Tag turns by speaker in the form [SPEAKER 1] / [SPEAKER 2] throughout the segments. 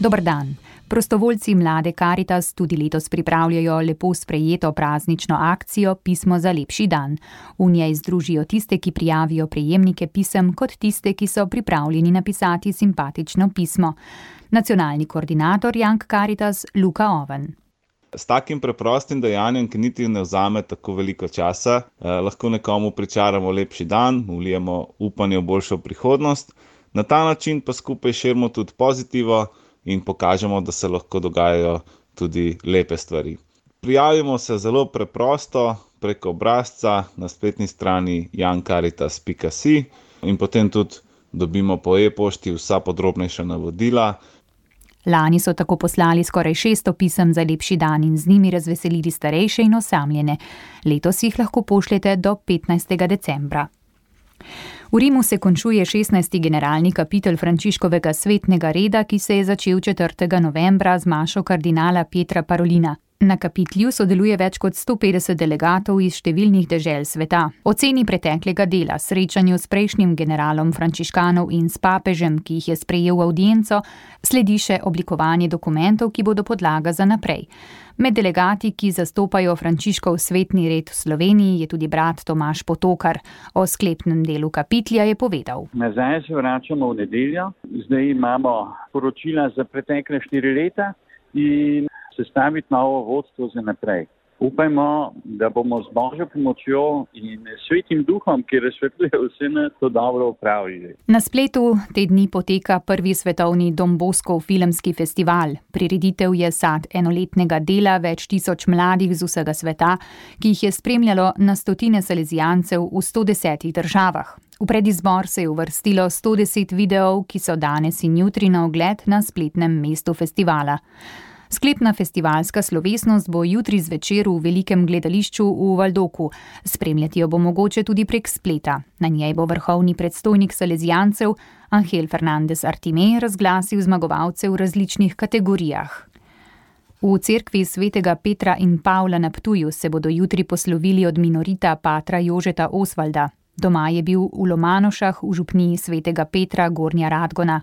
[SPEAKER 1] Dober dan. Prostovoljci Mlade Karitas tudi letos pripravljajo lepo sprejeto praznično akcijo Pismo za lepši dan. V njej združijo tiste, ki prijavijo prejemnike pisem, kot tiste, ki so pripravljeni napisati simpatično pismo. Nacionalni koordinator Young Karitas Luka Oven.
[SPEAKER 2] S takim preprostim dejanjem, ki niti ne vzame tako veliko časa, lahko nekomu pričaramo lepši dan, vlijemo upanje v boljšo prihodnost. Na ta način pa skupaj širimo tudi pozitivo in pokažemo, da se lahko dogajajo tudi lepe stvari. Prijavimo se zelo preprosto preko obrazca na spletni strani youngcaritas.si in potem tudi dobimo po e-pošti vsa podrobnejša navodila.
[SPEAKER 1] Lani so tako poslali skoraj 600 pisem za lepši dan in z njimi razveselili starejše in osamljene. Letos jih lahko pošljete do 15. decembra. V Rimu se končuje 16. generalni kapitel Frančiškovega svetnega reda, ki se je začel 4. novembra z mašo kardinala Pietra Parolina. Na kapitlju sodeluje več kot 150 delegatov iz številnih dežel sveta. Oceni preteklega dela, srečanju s prejšnjim generalom frančiškanov in s papežem, ki jih je sprejel v avdienco, sledi še oblikovanje dokumentov, ki bodo podlaga za naprej. Med delegati, ki zastopajo Frančiškov svetni red v Sloveniji, je tudi brat Tomaž Potokar. O sklepnem delu kapitlja je povedal.
[SPEAKER 3] Nazaj se vračamo v nedeljo. Zdaj imamo poročila za pretekle 4 leta in sestaviti novo vodstvo za naprej. Upajmo, da bomo z Božjo pomočjo in svetim duhom, ki razsvetljuje vse nas, to dobro opravili.
[SPEAKER 1] Na spletu te dni poteka prvi svetovni Don Boscov filmski festival. Prireditev je sad enoletnega dela več tisoč mladih z vsega sveta, ki jih je spremljalo na stotine salezijancev v 110 državah. V predizbor se je uvrstilo 110 videov, ki so danes in jutri na ogled na spletnem mestu festivala. Sklepna festivalska slovesnost bo jutri zvečer v velikem gledališču v Valdoku. Spremljati jo bo mogoče tudi prek spleta. Na njej bo vrhovni predstojnik salezijancev Angel Fernandez Artime razglasil zmagovalce v različnih kategorijah. V cerkvi svetega Petra in Pavla na Ptuju se bodo jutri poslovili od minorita patra Jožeta Osvalda. Doma je bil v Lomanošah v župniji svetega Petra Gornja Radgona.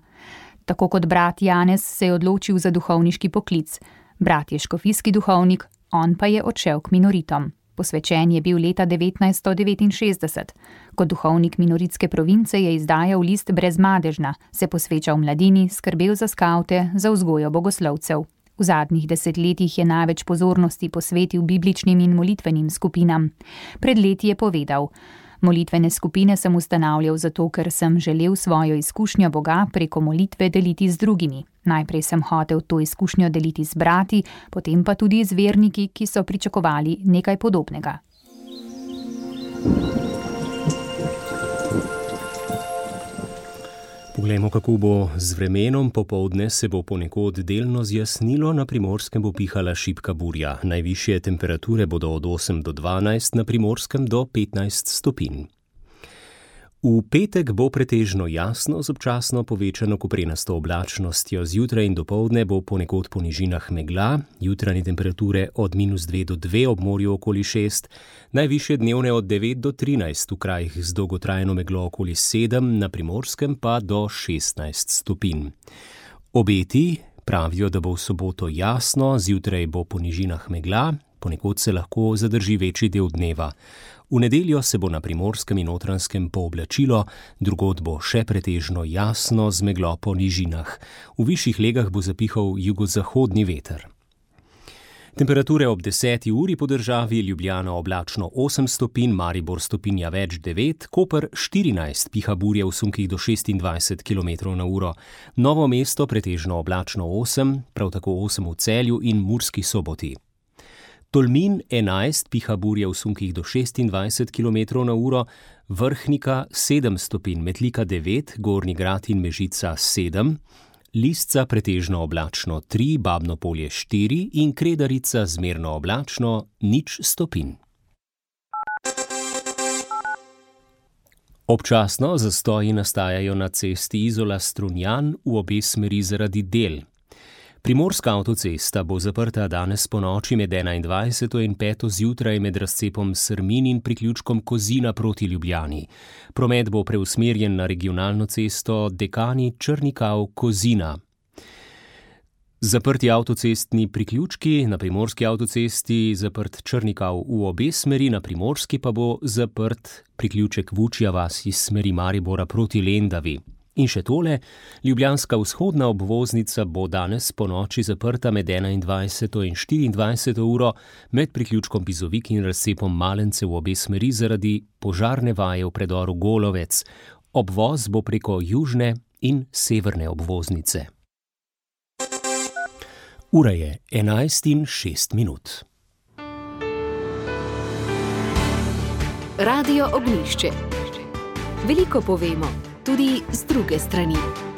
[SPEAKER 1] Tako kot brat Janez se je odločil za duhovniški poklic. Brat je škofijski duhovnik, on pa je odšel k minoritom. Posvečen je bil leta 1969. Kot duhovnik minoritske province je izdajal list Brezmadežna, se posvečal mladini, skrbel za skavte, za vzgojo bogoslovcev. V zadnjih desetletjih je največ pozornosti posvetil bibličnim in molitvenim skupinam. Pred leti je povedal: Molitvene skupine sem ustanavljal zato, ker sem želel svojo izkušnjo Boga preko molitve deliti z drugimi. Najprej sem hotel to izkušnjo deliti z brati, potem pa tudi z verniki, ki so pričakovali nekaj podobnega.
[SPEAKER 4] Poglejmo, kako bo z vremenom. Popoldne se bo ponekod delno zjasnilo, na Primorskem bo pihala šibka burja. Najvišje temperature bodo od 8 do 12, na Primorskem do 15 stopinj. V petek bo pretežno jasno z občasno povečano koprenasto oblačnostjo. Zjutraj in dopoldne bo ponekod po nižinah megla, jutranje temperature od -2 do 2, ob morju okoli 6, najvišje dnevne od 9 do 13, v krajih z dolgotrajno meglo okoli 7, na Primorskem pa do 16 stopinj. Obeti pravijo, da bo v soboto jasno, zjutraj bo po nižinah megla, ponekod se lahko zadrži večji del dneva. V nedeljo se bo na Primorskem in Notranjskem pooblačilo, drugod bo še pretežno jasno z meglo po nižinah. V višjih legah bo zapihal jugozahodni veter. Temperature ob 10. uri po državi: Ljubljana oblačno 8 stopinj, Maribor stopinja več 9, Koper 14, piha burja v sunkih do 26 km/h, Novo mesto pretežno oblačno 8, prav tako 8 v Celju in Murski Soboti. Tolmin 11, piha burja v sunkih do 26 km/h, Vrhnika 7 stopinj, Metlika 9, Gornji Grad in Mežica 7, Lisca pretežno oblačno 3, Babno Polje 4 in Kredarica zmerno oblačno 0 stopinj. Občasno zastoji nastajajo na cesti Izola-Strunjan v obe smeri zaradi del. Primorska avtocesta bo zaprta danes ponoči med 21. in 5. zjutraj med razcepom Srmin in priključkom Kozina proti Ljubljani. Promet bo preusmerjen na regionalno cesto Dekani Črnikav-Kozina. Zaprti avtocestni priključki, na primorski avtocesti zaprt Črnikav v obe smeri, na primorski pa bo zaprt priključek Vučja vas iz smeri Maribora proti Lendavi. In še tole, ljubljanska vzhodna obvoznica bo danes ponoči zaprta med 21. in 24. uro med priključkom Bizovik in razcepom Malence v obe smeri zaradi požarne vaje v predoru Golovec. Obvoz bo preko južne in severne obvoznice. Ura je 11:06.
[SPEAKER 5] Radio Ognjišče. Veliko povemo, tudi z druge strani.